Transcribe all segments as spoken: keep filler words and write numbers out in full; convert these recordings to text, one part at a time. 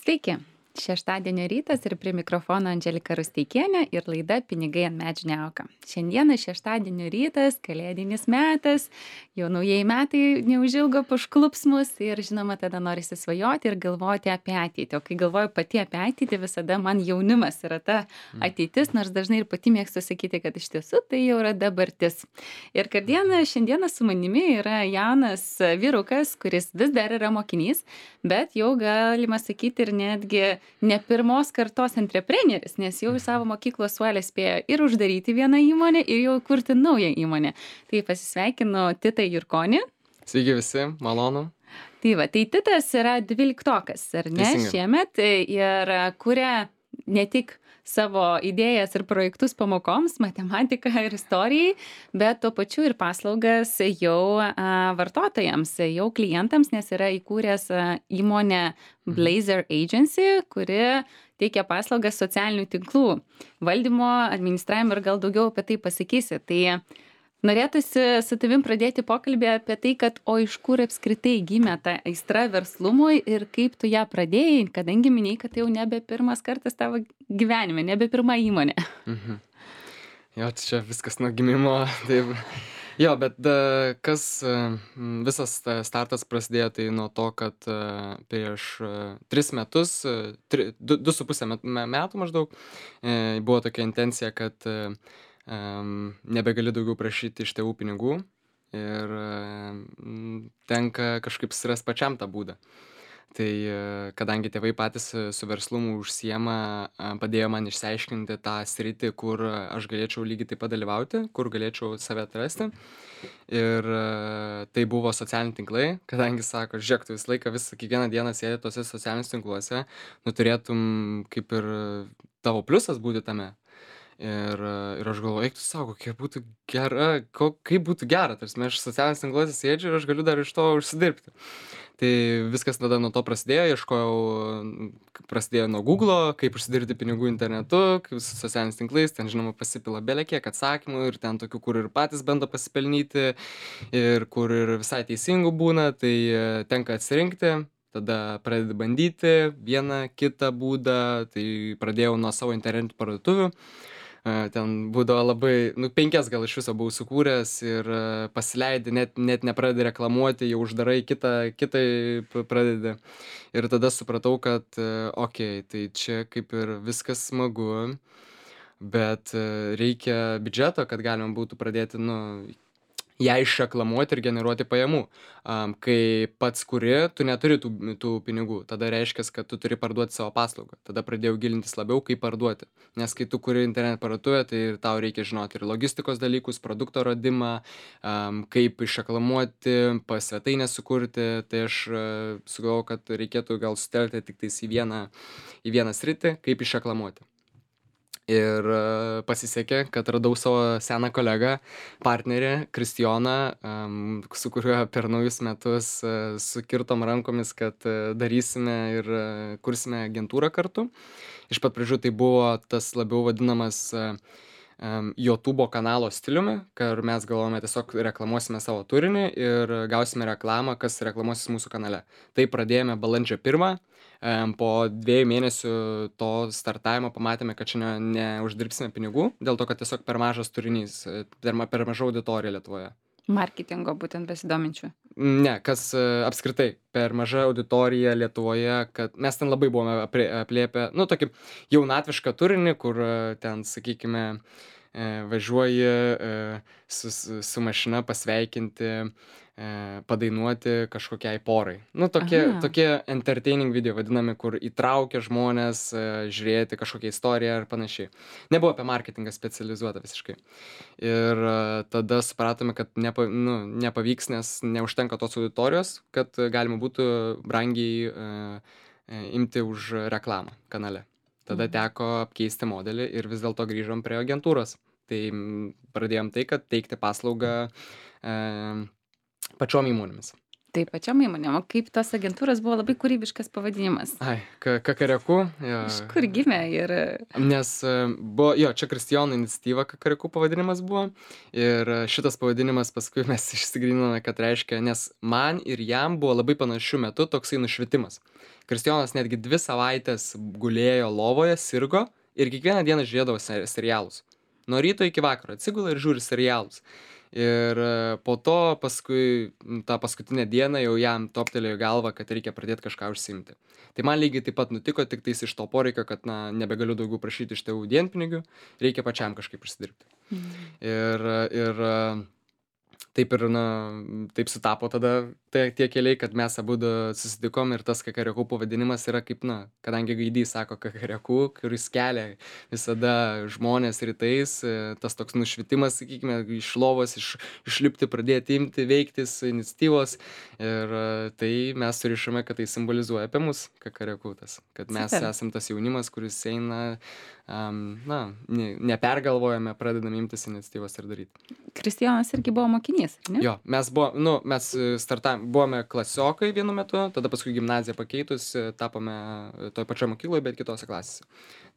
Sveiki. Šeštadienio rytas ir prie mikrofono Andželika Rusteikienė ir laida Pinigai ant medžių neauga. Šiandieną šeštadienio rytas, kalėdinis metas, jau naujieji metai neužilgo pašklups mus ir žinoma tada norisi svajoti ir galvoti apie ateitį. O kai galvoju pati apie ateitį, visada man jaunimas yra ta ateitis, nors dažnai ir pati mėgstu sakyti, kad iš tiesų tai jau yra dabartis. Ir kasdieną šiandieną su manimi yra jaunas vyrukas, kuris vis dar yra mokinys, bet jau galima sakyti ir netgi ne pirmos kartos antrepreneris, nes jau į savo mokyklos suolę spėjo ir uždaryti vieną įmonę, ir jau kurti naują įmonę. Tai pasisveikinu Titą Jurkonį. Sveiki visi, malonu. Tai va, tai Titas yra dvyliktokas, ar ne, Teisingai. šiemet ir kuria ne tik savo idėjas ir projektus pamokoms, matematiką ir istorijai, bet tuo pačiu ir paslaugas jau a, vartotojams, jau klientams, nes yra įkūręs a, įmonę Blazer Agency, kuri teikia paslaugas socialinių tinklų valdymo, administravimo ir gal daugiau apie tai pasakysi. Tai norėtųsi su tavim pradėti pokalbį apie tai, kad o iš kur apskritai gimė ta aistra verslumui ir kaip tu ją pradėjai, kadangi minėjai, kad tai jau nebe pirmas kartas tavo gyvenime, nebe pirma įmonė. Mhm. Jo, tai čia viskas nuo gimimo. Taip. Jo, bet da, kas e, m, visas ta startas prasidėjo tai nuo to, kad e, prieš e, tris metus, e, tri, du, du su pusę met- me- metų maždaug, e, buvo tokia intencija, kad e, em, nebegali daugiau prašyti iš tėvų pinigų ir e, m, tenka kažkaip surast pačiam tą būdą. Tai e, kadangi tėvai patys e, su verslumu užsiema, e, padėjo man išsiaiškinti tą sritį, kur e, aš galėčiau lygiai taip pat dalyvauti, kur galėčiau save atrasti. Ir e, tai buvo socialiniai tinklai, kadangi sako, žiūrėk, tu visą laiką, visą kiekvieną dieną sėdi tose socialiniuose tinkluose, nu turėtum kaip ir tavo pliusas būti tame. Ir, e, ir aš galvoju, eik tu savo, kokia būtų gera, ko, kaip būtų gera, tarsi aš socialiniuose tinkluose sėdžiu ir aš galiu dar iš to užsidirbti. Tai viskas tada nuo to prasidėjo, ieškojau, m, prasidėjo nuo Google'o, kaip užsidirbti pinigų internetu, kaip su socialiniais tinklais, ten žinoma pasipila belekiek atsakymų ir ten tokių, kur ir patys bando pasipelnyti ir kur ir visai teisingų būna, tai e, tenka atsirinkti, tada pradedi bandyti vieną kitą būdą, tai pradėjau nuo savo internetų parduotuvių. E, Ten būdavo labai, nu, penkias gal iš viso buvau sukūręs ir e, pasileidi, net, net nepradedi reklamuoti, jau uždarai kitą, kitai p- pradedi. Ir tada supratau, kad, okei, tai čia kaip ir viskas smagu, bet e, reikia biudžeto, kad galima būtų pradėti, nu, ją išreklamuoti ir generuoti pajamų. Am, kai pats kuri, tu neturi tų, tų pinigų, tada reiškia, kad tu turi parduoti savo paslaugą. Tada pradėjau gilintis labiau, kaip parduoti. Nes kai tu kuri internet parduotuvę, tai ir tau reikia žinoti ir logistikos dalykus, produkto radimą, am, kaip išreklamuoti, pas svetainę sukurti. Tai aš e, sugalvojau, kad reikėtų gal sutelkti tik tais į vieną, į vieną sritį, kaip išreklamuoti. Ir e, pasisekė, kad radau savo seną kolegą, partnerį Kristijoną, em, su kuriuo per naujus metus e, sukirtom rankomis, kad e, darysime ir e, kursime agentūrą kartu. Iš pat pradžių tai buvo tas labiau vadinamas e, em, YouTube'o kanalo stiliumi, kur mes galvojame tiesiog reklamuosime savo turinį ir gausime reklamą, kas reklamuosis mūsų kanale. Tai pradėjome balandžio pirmą. Em, Po dviejų mėnesių to startavimo pamatėme, kad čia ne, neuždirbsime pinigų, dėl to, kad tiesiog per mažas turinys, e, per, ma- per maža auditorija Lietuvoje. Marketingo būtent besidominčių. Ne, kas e, apskritai per maža auditorija Lietuvoje, kad mes ten labai buvome apri- aplėpę, nu, tokį jaunatvišką turinį, kur e, ten, sakykime, e, važiuoji e, su, su su mašina pasveikinti, e, padainuoti kažkokiai porai. Nu, tokie, Aha. tokie entertaining video vadinami, kur įtraukia žmonės e, žiūrėti kažkokią istoriją ar panašiai. Nebuvo apie marketingą specializuota visiškai. Ir e, tada supratome, kad nepa, nu, nepavyks, nes neužtenka tos auditorijos, kad e, galima būtų brangiai e, e, imti už reklamą kanale. Tada Mhm. teko apkeisti modelį ir vis dėlto grįžom prie agentūros. Tai mm, pradėjom tai, kad teikti paslaugą e, pačiom įmonėmis. Taip, pačiom įmonėm. O kaip tos agentūros buvo labai kūrybiškas pavadinimas? Ai, ka Kakareku, jo. Iš kur gimė ir Nes e, buvo, jo, čia Kristijono iniciatyva Kakareku pavadinimas buvo. Ir e, šitas pavadinimas paskui mes išsigryninome, kad reiškia, nes man ir jam buvo labai panašiu metu toksai nušvitimas. Kristijonas netgi dvi savaitės gulėjo lovoje, sirgo ir kiekvieną dieną žiūrėdavo se- serialus. Nuo ryto iki vakaro atsigula ir žiūri serialus. Ir e, po to paskui m, tą paskutinę dieną jau jam toptelėjo į galvą, kad reikia pradėti kažką užsiimti. Tai man lygiai taip pat nutiko, tik tais iš to poreikio, kad na, nebegaliu daugiau prašyti iš tėvų dienpinigių, reikia pačiam kažkaip užsidirbti. Mm. Ir, ir e, taip ir, na, taip sutapo tada tie, tie keliai, kad mes abudu susitikom ir tas Kakareku pavadinimas yra kaip, na, kadangi Gaidys sako Kakareku, kuris kelia visada žmonės rytais, e, tas toks nušvitimas, sakykime, iš lovos, iš, išlipti, pradėti imti, veiktis, iniciatyvos. Ir e, tai mes surišame, kad tai simbolizuoja apie mus, Kakareku tas, kad mes Super. esam tas jaunimas, kuris eina, um, na, ne, nepergalvojame, pradedame imtis iniciatyvos ir daryti. Kristijonas irgi buvo mokinys, ar ne? Jo, mes buvo, nu, mes startavom, buvome klasiokai vienu metu, tada paskui gimnaziją pakeitus, e, tapome e, toj pačioj mokykloje, bet kitose klasėse.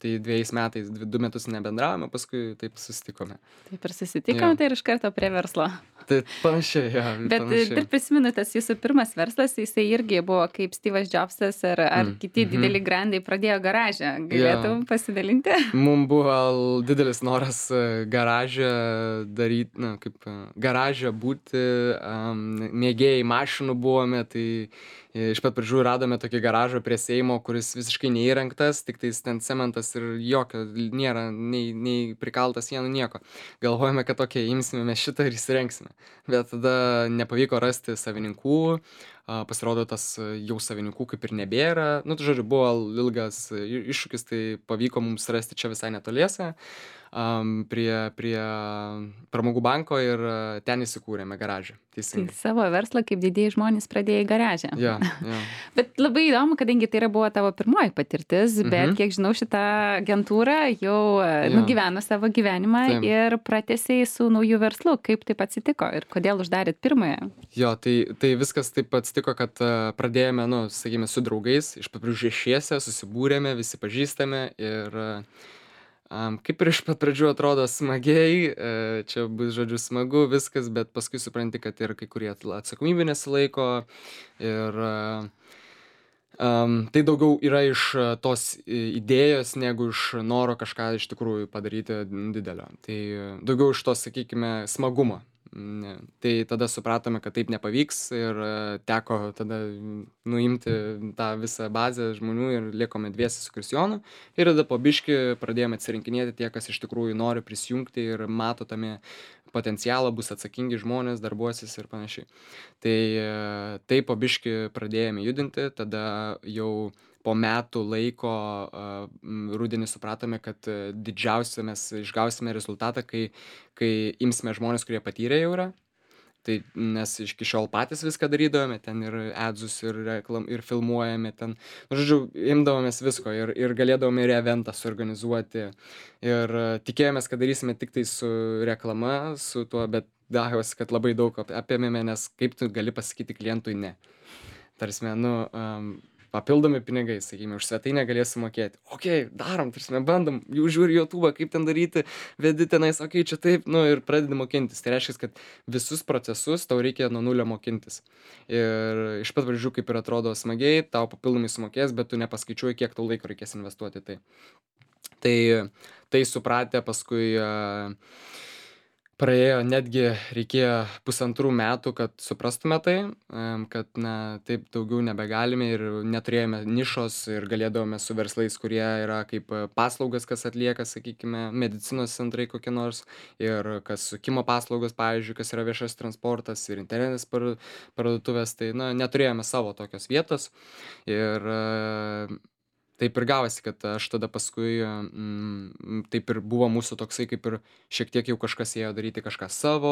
Tai dviejais metais, dvi, du metus nebendravome, paskui taip susitikome. Taip ir susitikom, Jo. tai ir iš karto prie verslo. Tai panašiai, jo, Bet e, panašiai. dar prisimenu, tas jūsų pirmas verslas, jisai irgi buvo kaip Steve'as Jobsas ar, ar Mm, kiti mhm. dideli grandai pradėjo garažą. Galėtum pasidalinti? Mums buvo l- didelis noras e, garaže daryti, na, kaip e, garaže būti, um, mėgėjai mašinų buvome, tai e, iš pat pradžių radome tokį garažą prie Seimo, kuris visiškai neįrengtas, tik tais ten cementas ir jokio nėra, nei, nei prikaltas sienų, nieko. Galvojame, kad tokia imsime mes šitą ir įsirengsime. Bet tada nepavyko rasti savininkų, a, pasirodo tas e, jau savininkų kaip ir nebėra. Nu, tai žodžiu, buvo ilgas e, i- iššūkis, tai pavyko mums rasti čia visai netoliese, am, prie, prie pramogų banko ir e, ten įsikūrėme garažą. Tai Teisingai. savo verslą kaip didieji žmonės pradėjai garažę. Jo, jo. Bet labai įdomu, kadangi tai yra buvo tavo pirmoji patirtis, bet Mhm. kiek žinau, šitą agentūrą jau e, Jo. nugyveno savo gyvenimą Taip. ir pratęsiai su nauju verslu. Kaip taip atsitiko ir kodėl uždarėt pirmąją? Jo, tai, tai viskas taip atsitiko, kad a, pradėjome, nu, sakykime, su draugais, iš pat pradžių šešiese, susibūrėme, visi pažįstame ir a, am, kaip ir iš pat pradžių atrodo smagiai, e, čia bus, žodžiu, smagu viskas, bet paskui supranti, kad ir kai kurie atla- atsakomybė nesilaiko ir a, am, tai daugiau yra iš a, tos i- idėjos, negu iš noro kažką iš tikrųjų padaryti didelio. Tai a, daugiau iš tos, sakykime, smagumo. Ne. Tai tada supratome, kad taip nepavyks ir e, teko tada mm, nuimti tą visą bazę žmonių ir likome dviese su Kristijonu. Ir tada po biški pradėjome atsirinkinėti tie, kas iš tikrųjų nori prisijungti ir mato tame potencialą, bus atsakingi žmonės, darbuosis ir panašiai. Tai e, taip po biški pradėjome judinti, tada jau po metų laiko a, m, rudenį supratome, kad e, didžiausią mes išgausime rezultatą, kai, kai imsime žmonės, kurie patyrę jau yra. Tai nes iki šiol patys viską darydavome, ten ir adzus, ir, reklam, ir filmuojame ten. Nu, žodžiu, imdavomės visko ir, ir galėdavome ir eventą suorganizuoti. Ir e, tikėjomės, kad darysime tik tai su reklama, su tuo, bet dajosi, kad labai daug ap- apėmėme, nes kaip tu gali pasakyti klientui ne. Tarsi, nu, um, papildomi pinigai, sakykime, už svetainę galėsi mokėti. Ok, darom, tarsi, bandom, jau žiūri YouTube, kaip ten daryti, vedi tenais, ok, čia taip, nu ir pradedi mokintis. Tai reiškia, kad visus procesus tau reikia nuo nulio mokintis. Ir iš pat pradžių, kaip ir atrodo smagiai, tau papildomai sumokės, bet tu nepaskaičiuoji, kiek tau laiko reikės investuoti į tai. Tai, tai supratę paskui a, praėjo netgi reikėjo pusantrų metų, kad suprastume tai, em, kad na, taip daugiau nebegalime ir neturėjome nišos ir galėdavome su verslais, kurie yra kaip e, paslaugas, kas atlieka, sakykime, medicinos centrai kokie nors ir kas sukimo paslaugos, pavyzdžiui, kas yra viešas transportas ir internetas par- parduotuvės, tai na, neturėjome savo tokios vietos ir e, taip ir gavosi, kad aš tada paskui, mm, taip ir buvo mūsų toksai, kaip ir šiek tiek jau kažkas ėjo daryti kažką savo.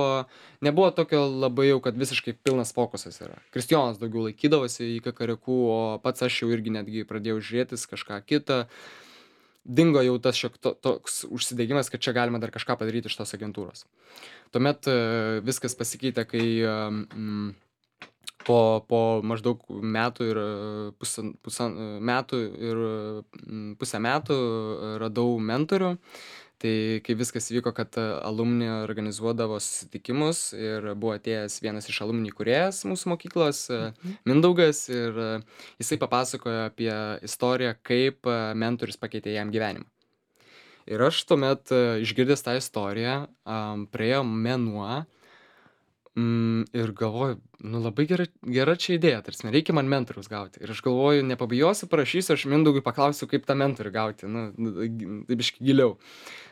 Nebuvo tokio labai jau, kad visiškai pilnas fokusas yra. Kristijonas daugiau laikydavosi į Kakareku, o pats aš jau irgi netgi pradėjau žiūrėtis kažką kitą. Dingo jau tas šiek to, toks užsidegimas, kad čia galima dar kažką padaryti iš tos agentūros. Tuomet e, viskas pasikeitė, kai e, mm, po po maždaug metų ir pusan pusan metų ir mm, pusę metų radau mentorių. Tai kai viskas vyko, kad alumni organizuodavo susitikimus ir buvo atėjęs vienas iš alumni įkūrėjas mūsų mokyklos, Mhm. Mindaugas, ir jisai papasakojo apie istoriją, kaip mentorius pakeitė jam gyvenimą. Ir aš tuomet išgirdęs tą istoriją, am, praėjo mėnuo. Mm, ir galvoju, nu labai gera, gera čia idėja, tarsi reikia man mentoriaus gauti. Ir aš galvoju, nepabijosiu, parašysiu, aš Mindaugui paklausiu, kaip tą mentorių gauti, nu, nu, gi- taip biškį giliau.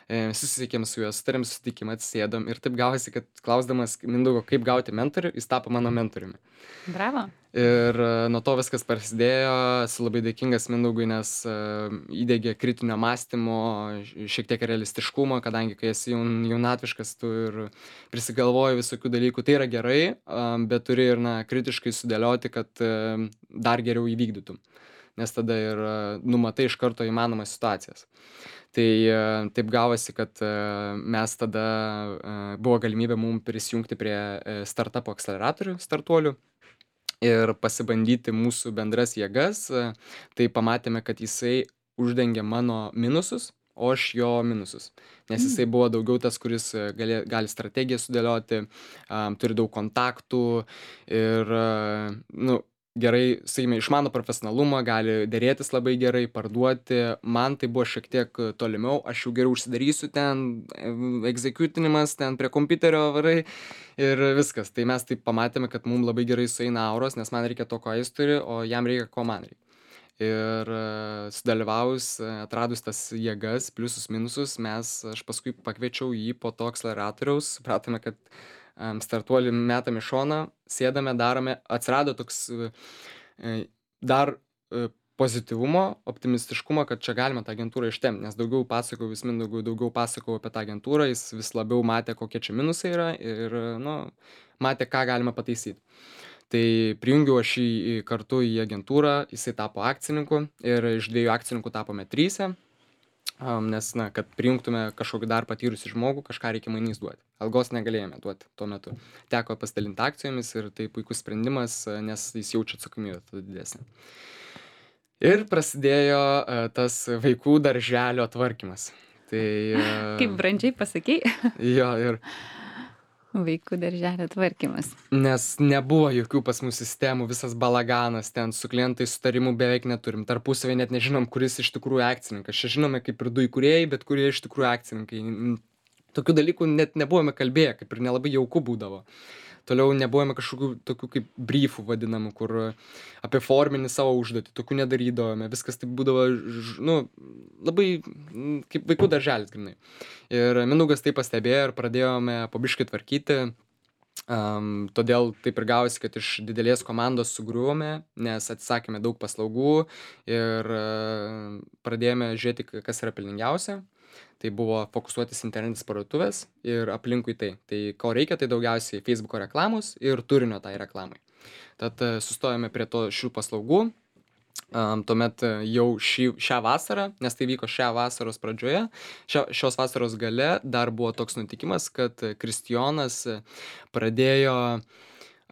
E, susisiekėm su juo, sutarėm susitikimą, atsėdom ir taip gavosi, kad klausdamas Mindaugo, kaip gauti mentorių, jis tapo mano mentoriumi. Bravo. Ir e, nuo to viskas prasidėjo, esu labai dėkingas Mindaugui, nes e, įdegė kritinio mąstymo, š- šiek tiek realistiškumo, kadangi kai esi jaun, jaunatviškas, tu ir prisigalvoji visokių dalykų, tai yra gerai, am, bet turi ir na, kritiškai sudėlioti, kad e, dar geriau įvykdytum, nes tada ir e, numatai iš karto įmanomas situacijas. Tai e, taip gavosi, kad e, mes tada e, buvo galimybė mums prisijungti prie e, startupo akceleratorių startuolių ir pasibandyti mūsų bendras jėgas. e, Tai pamatėme, kad jisai uždengia mano minusus, o aš jo minusus. Nes Mm. jisai buvo daugiau tas, kuris e, gali, gali strategiją sudėlioti, am, turi daug kontaktų ir, e, nu, gerai, sakykime, išmano profesionalumą, gali dėrėtis labai gerai, parduoti. Man tai buvo šiek tiek e, tolimiau, aš jau geriau užsidarysiu ten, egzekutinimas, ten prie kompiuterio varai ir viskas. Tai mes taip pamatėme, kad mum labai gerai sueina auros, nes man reikia to, ko jis turi, o jam reikia, ko man reikia. Ir e, sudalyvavus, e, atradus tas jėgas, pliusus, minusus, mes, aš paskui pakviečiau jį po to akceleratoriaus, supratome, kad em, startuolį metam į šoną, sėdame, darome, atsirado toks e, e, dar e, pozityvumo, optimistiškumo, kad čia galima tą agentūrą ištempti, nes daugiau pasakojau vis Mindaugui, daugiau pasakojau apie tą agentūrą, jis vis labiau matė, kokie čia minusai yra ir, nu, matė, ką galima pataisyti. Tai prijungiau aš jį į- kartu į agentūrą, jisai tapo akcininku ir iš dviejų akcininkų tapome tryse, am, nes, na, kad prijungtume kažkokį dar patyrusį žmogų, kažką reikia mainys duoti. Algos negalėjome duoti tuo metu. Teko pasidalinti akcijomis ir tai puikus sprendimas, e, nes jis jaučia atsakomybę tada didesnę. Ir prasidėjo e, tas vaikų darželio tvarkymas. Tai Kaip e, brandžiai pasakei, jo, ir vaikų darželio tvarkymas. nes nebuvo jokių pas mus sistemų, visas balaganas, ten su klientais sutarimų beveik neturim, tarpusavy net nežinom, kuris iš tikrųjų akcininkas. Čia žinome kaip ir du įkūrėjai, bet kurie iš tikrųjų akcininkai. N- Tokių dalykų net nebuvome kalbėję, kaip ir nelabai jauku būdavo. Toliau nebuvome kažkokių tokių kaip briefų vadinamų, kur apie forminį savo užduotį, tokių nedarydavome, viskas taip būdavo, ž- nu, labai mm, kaip vaikų darželis, grinai. Ir Mindaugas tai pastebėjo ir pradėjome pabiškai tvarkyti. Am, todėl taip ir gavosi, kad iš didelės komandos sugriuvome, nes atsisakėme daug paslaugų ir e, pradėjome žiūrėti, k- kas yra pelningiausia. Tai buvo fokusuotis internetinės parduotuvės ir aplinkui tai. Tai ko reikia, tai daugiausiai Facebook'o reklamos ir turinio tai reklamai. Tad e, sustojome prie to šių paslaugų. Am, tuomet e, jau šį, šią vasarą, nes tai vyko šią vasaros pradžioje, šio, šios vasaros gale dar buvo toks nutikimas, kad e, Kristijonas e, pradėjo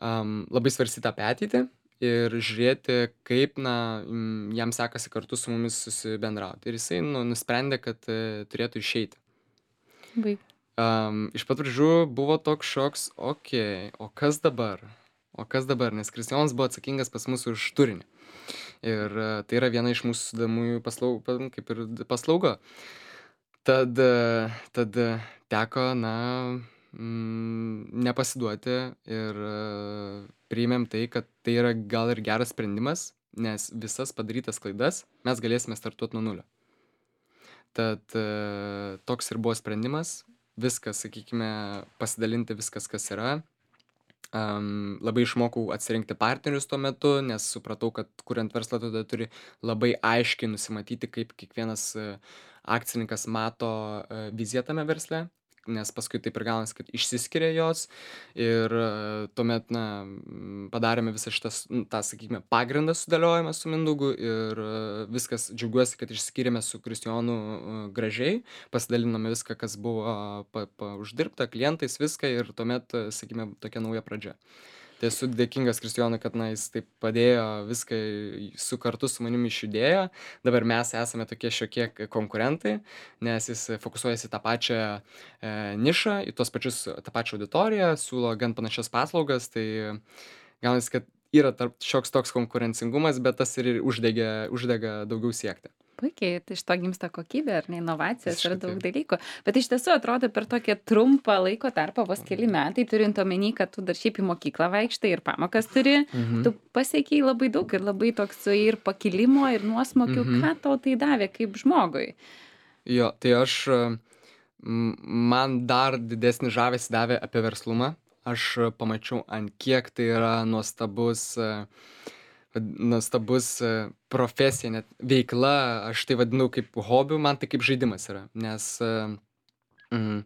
am, labai svarstyti apie ateitį ir žiūrėti, kaip na, mm, jam sekasi kartu su mumis susibendrauti. Ir jisai nu, nusprendė, kad e, turėtų išeiti. Baig. Um, iš pat pradžių buvo toks šoks, okei, o kas dabar? O kas dabar? Nes Kristijonas buvo atsakingas pas mus už turinį. Ir e, tai yra viena iš mūsų sudamųjų paslaugų, kaip ir d- paslauga. Tad, e, tad e, teko, na, mm, nepasiduoti ir e, priėmėm tai, kad tai yra gal ir geras sprendimas, nes visas padarytas klaidas mes galėsime startuoti nuo nulio. Tad e, toks ir buvo sprendimas. Viskas, sakykime, pasidalinti viskas, kas yra. Am, labai išmokau atsirinkti partnerius tuo metu, nes supratau, kad kuriant verslą tada turi labai aiškiai nusimatyti, kaip kiekvienas e, akcininkas mato e, viziją tame versle, nes paskui taip ir gaunasi, kad išsiskiria jos ir e, tuomet, na, m, padarėme visą šitą, s- n, tą, sakykime, pagrindą sudėliojimą su Mindaugu ir e, viskas, džiaugiuosi, kad išskyrėme su Kristijonu e, gražiai, pasidalinome viską, kas buvo pa, pa uždirbta, klientais, viską ir tuomet, e, sakykime, tokia nauja pradžia. Tai esu dėkingas Kristijonui, kad na, jis taip padėjo viską su kartu su manimi išjudėjo. Dabar mes esame tokie šiokie k- konkurentai, nes jis fokusuojasi į tą pačią e, nišą, į tuos pačius, tą pačią auditoriją, siūlo gan panašias paslaugas, tai gaunasi, kad yra tarp šioks toks konkurencingumas, bet tas ir uždega, uždega daugiau siekti. Puikiai, tai iš to gimsta kokybė ar ne inovacijos ir Visiškai daug taip. dalykų. Bet iš tiesų atrodo per tokį trumpą laiko tarpą, vos keli metai, turint omeny, kad tu dar šiaip į mokyklą vaikštai ir pamokas turi, Mhm. tu pasiekiai labai daug ir labai toks ir pakilimo, ir nuosmokių. Mhm. Ką tau tai davė kaip žmogui? Jo, tai aš, e, m, man dar didesnį žavesį davė apie verslumą. Aš e, pamačiau, ant kiek tai yra nuostabus, e, vad- nuostabus e, profesija, net veikla, aš tai vadinu kaip hobiu, man tai kaip žaidimas yra. Nes e, mm,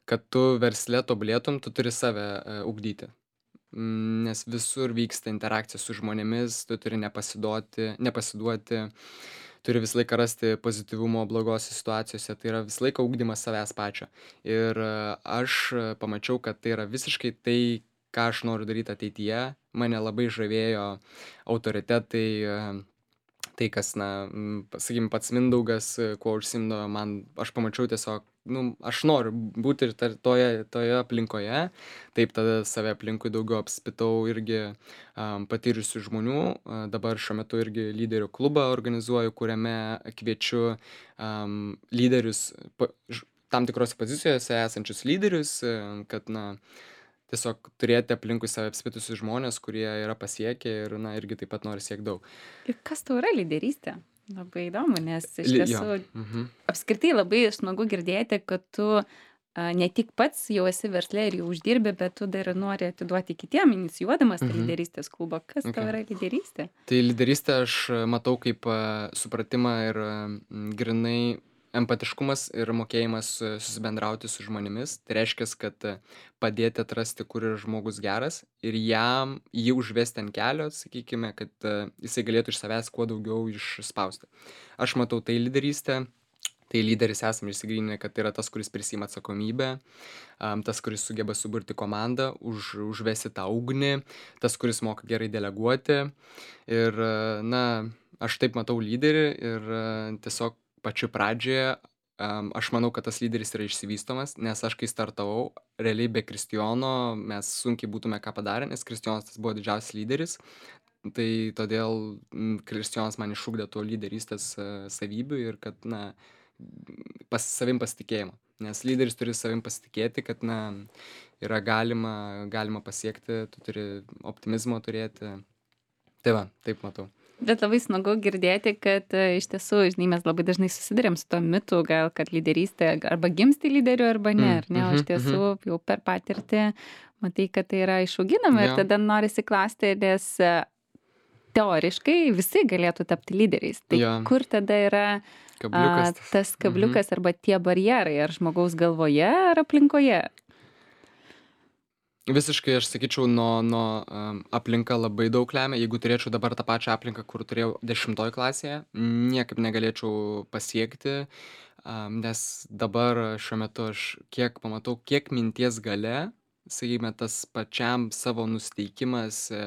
kad tu versle tobulėtum, tu turi save e, ugdyti. Mm, Nes visur vyksta interakcija su žmonėmis, tu turi nepasiduoti, nepasiduoti, turi visą laiką rasti pozityvumo blogose situacijose, tai yra visą laiką ugdymas savęs pačio. Ir e, aš e, pamačiau, kad tai yra visiškai tai, ką aš noriu daryti ateityje. Mane labai žavėjo autoritetai, e, tai, kas, na, mm, sakykim, pats Mindaugas, e, kuo užsimdavo, man, aš pamačiau tiesiog, nu, aš noriu būti ir tar- toje, toje aplinkoje. Taip tada save aplinkui daugiau apspitau irgi um, patyrusių žmonių. A, Dabar šiuo metu irgi lyderių klubą organizuoju, kuriame kviečiu um, lyderius, pa- ž- tam tikrose pozicijose esančius lyderius, e, kad, na, tiesiog turėti aplinkui save apspitusius žmonės, kurie yra pasiekę ir, na, irgi taip pat nori siekti daug. Ir kas tau yra lyderystė? Labai įdomu, nes iš Li- Jo. tiesų Mhm. apskritai labai smagu girdėti, kad tu a, ne tik pats jau esi versle ir jau uždirbi, bet tu dar nori atiduoti kitiem, inicijuodamas tą Mhm. lyderystės klubą. Kas tau Okay. yra lyderystė? Tai lyderystę aš e, matau kaip e, supratimą ir e, m, grinai empatiškumas ir mokėjimas e, susibendrauti su žmonėmis. Tai reiškia, kad e, padėti atrasti, kur yra žmogus geras ir jam jį užvesti ant kelio, sakykime, kad e, jisai galėtų iš savęs kuo daugiau išspausti. Aš matau tai lyderystę. Tai lyderis esame išsigryninę, kad tai yra tas, kuris prisima atsakomybę, am, tas, kuris sugeba suburti komandą, už, užvesti tą ugnį, tas, kuris moka gerai deleguoti. Ir, e, na, aš taip matau lyderį ir e, tiesiog pačiu pradžioje am, aš manau, kad tas lyderis yra išsivystomas, nes aš kai startavau, realiai be Kristijono mes sunkiai būtume ką padarę, nes Kristijonas tas buvo didžiausias lyderis. Tai todėl mm, Kristijonas man išugdė to lyderystės e, savybių ir kad, na, pas savim pasitikėjimo. Nes lyderis turi savim pasitikėti, kad, na, yra galima, galima pasiekti, tu turi optimizmo turėti. Tai va, taip matau. Bet labai smagu girdėti, kad e, iš tiesų, žinai, mes labai dažnai susidurėm su to mitu, gal, kad lyderystė arba gimsti lyderiu, arba ne, Mm, ar ne, o mhm, iš tiesų jau per patirtį matai, kad tai yra išauginama ir Jo. tada norisi klausti, nes e, teoriškai visi galėtų tapti lyderiais. Tai Jo. kur tada yra a, Kabliukas tas. tas kabliukas arba tie barjerai, ar žmogaus galvoje, ar aplinkoje? Visiškai aš sakyčiau, nuo, nuo um, aplinka labai daug lemia. Jeigu turėčiau dabar tą pačią aplinką, kur turėjau dešimtoj klasėje, niekaip negalėčiau pasiekti, um, nes dabar šiuo metu aš kiek pamatau, kiek minties gale, sakykime, tas pačiam savo nusiteikimas, e,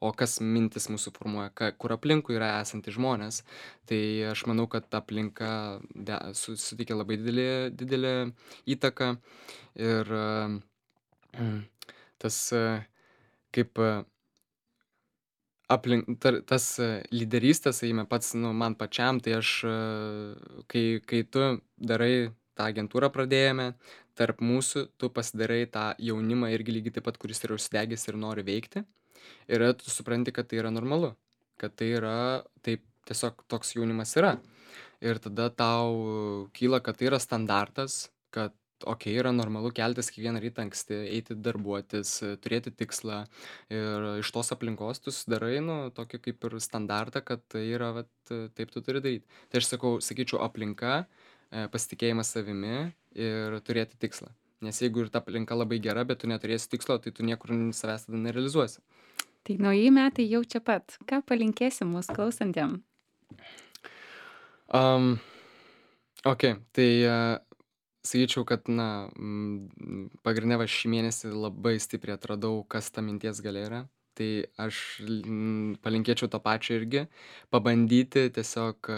o kas mintis mūsų formuoja, ka, kur aplinkui yra esantys žmonės, tai aš manau, kad aplinka de, su, suteikia labai didelį, didelį įtaką ir um, tas e, kaip e, aplink tar tas e, lyderystės, sakykime, pats, nu, man pačiam, tai aš, e, kai kai tu darai tą agentūrą pradėjome, tarp mūsų tu pasidarai tą jaunimą irgi lygiai taip pat, kuris yra užsidegęs ir nori veikti. Ir tada tu supranti, kad tai yra normalu, kad tai yra taip tiesiog toks jaunimas yra. Ir tada tau kyla, kad tai yra standartas, kad okei, yra normalu keltis kiekvieną rytą anksti, eiti darbuotis, e, turėti tikslą. Ir iš tos aplinkos tu susidarai, nu, tokį kaip ir standartą, kad tai yra, vat, e, taip tu turi daryti. Tai aš sakau, sakyčiau, aplinka, e, pasitikėjimas savimi ir turėti tikslą. Nes jeigu ir ta aplinka labai gera, bet tu neturėsi tikslo, tai tu niekur savęs tada nerealizuosi. Tai nauji metai jau čia pat. Ką palinkėsi mūsų klausantiem? Um, ok, tai uh, sakyčiau, kad, na, mm, pagrindinė va šį mėnesį labai stipriai atradau, kas ta minties galia yra. tai aš mm, palinkėčiau to pačio irgi, pabandyti tiesiog e,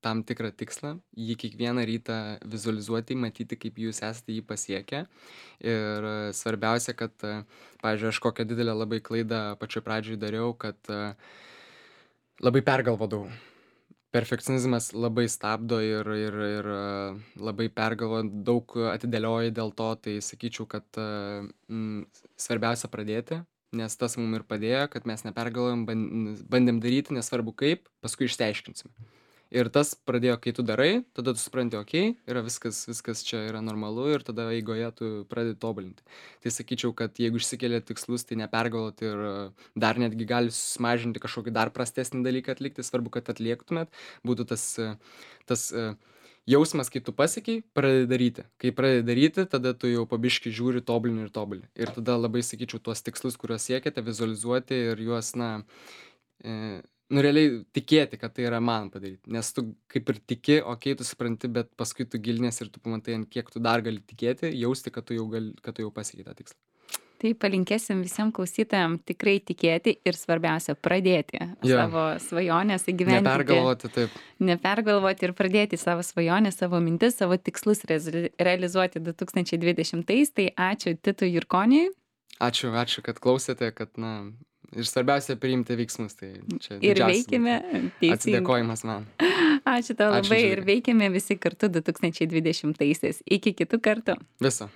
tam tikrą tikslą, jį kiekvieną rytą vizualizuoti, matyti, kaip jūs esate jį pasiekę. Ir e, svarbiausia, kad, e, pavyzdžiui, aš kokią didelę labai klaidą pačioj pradžioj dariau, kad e, labai pergalvodavau. Perfekcionizmas labai stabdo ir ir ir e, labai pergalvojant daug atidėlioji dėl to, tai sakyčiau, kad, e, mm, svarbiausia pradėti, nes tas mum ir padėjo, kad mes nepergalvojom, ban bandėm daryti, nesvarbu kaip, paskui išsiaiškinsim. Ir tas pradėjo, kai tu darai, tada tu supranti, okei, yra viskas viskas čia yra normalu ir tada eigoje tu pradedi tobulinti. Tai sakyčiau, kad jeigu išsikeliat tikslus, tai nepergalvot ir e, dar netgi gali susimažinti kažkokį dar prastesnį dalyką atlikti, svarbu, kad atliektumėt, būtų tas, e, tas e, jausmas, kai tu pasiekei, pradedi daryti. Kai pradedi daryti, tada tu jau po biškį žiūri, tobulini ir tobulini. Ir tada labai sakyčiau, tuos tikslus, kuriuos siekiate, vizualizuoti ir juos, na, e, nu, realiai tikėti, kad tai yra man padaryt. Nes tu kaip ir tiki, okei, tu supranti, bet paskui tu giliniesi ir tu pamatai, ant kiek tu dar gali tikėti, jausti, kad tu jau, gali, kad tu jau pasiekei tą tikslą. Tai palinkėsim visiems klausytojams tikrai tikėti ir svarbiausia pradėti Jo. savo svajonės įgyvendinti. Nepergalvoti, taip. Nepergalvoti ir pradėti savo svajonės, savo mintis, savo tikslus rezi- realizuoti du tūkstančiai dvidešimtais. Tai ačiū Titui Jurkoniui. Ačiū, ačiū, kad klausėte, kad, na, ir svarbiausia priimti veiksmus. Tai čia Ir didžiausias veikime būtų teisingai. atsidėkojimas man. Ačiū tau Ačiū, labai ir Žilvinai. veikime visi kartu du tūkstančiai dvidešimtaisiais. Iki kitų kartų. Viso.